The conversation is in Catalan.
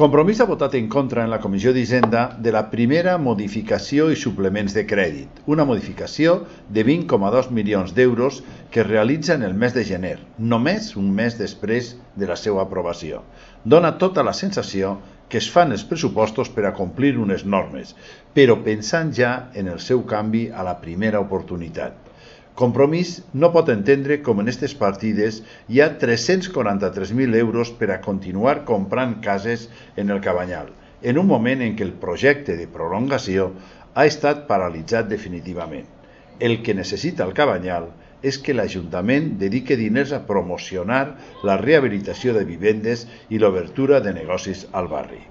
Compromís ha votat en contra en la Comissió d'Hisenda de la primera modificació i suplements de crèdit, una modificació de 20,2 milions d'euros que es realitza en el mes de gener, només un mes després de la seva aprovació. Dona tota la sensació que es fan els pressupostos per a complir unes normes, però pensant ja en el seu canvi a la primera oportunitat. Compromís no pot entendre com en aquestes partides hi ha 343.000 euros per a continuar comprant cases en el Cabanyal, en un moment en què el projecte de prolongació ha estat paralitzat definitivament. El que necessita el Cabanyal és que l'Ajuntament dedique diners a promocionar la rehabilitació de vivendes i l'obertura de negocis al barri.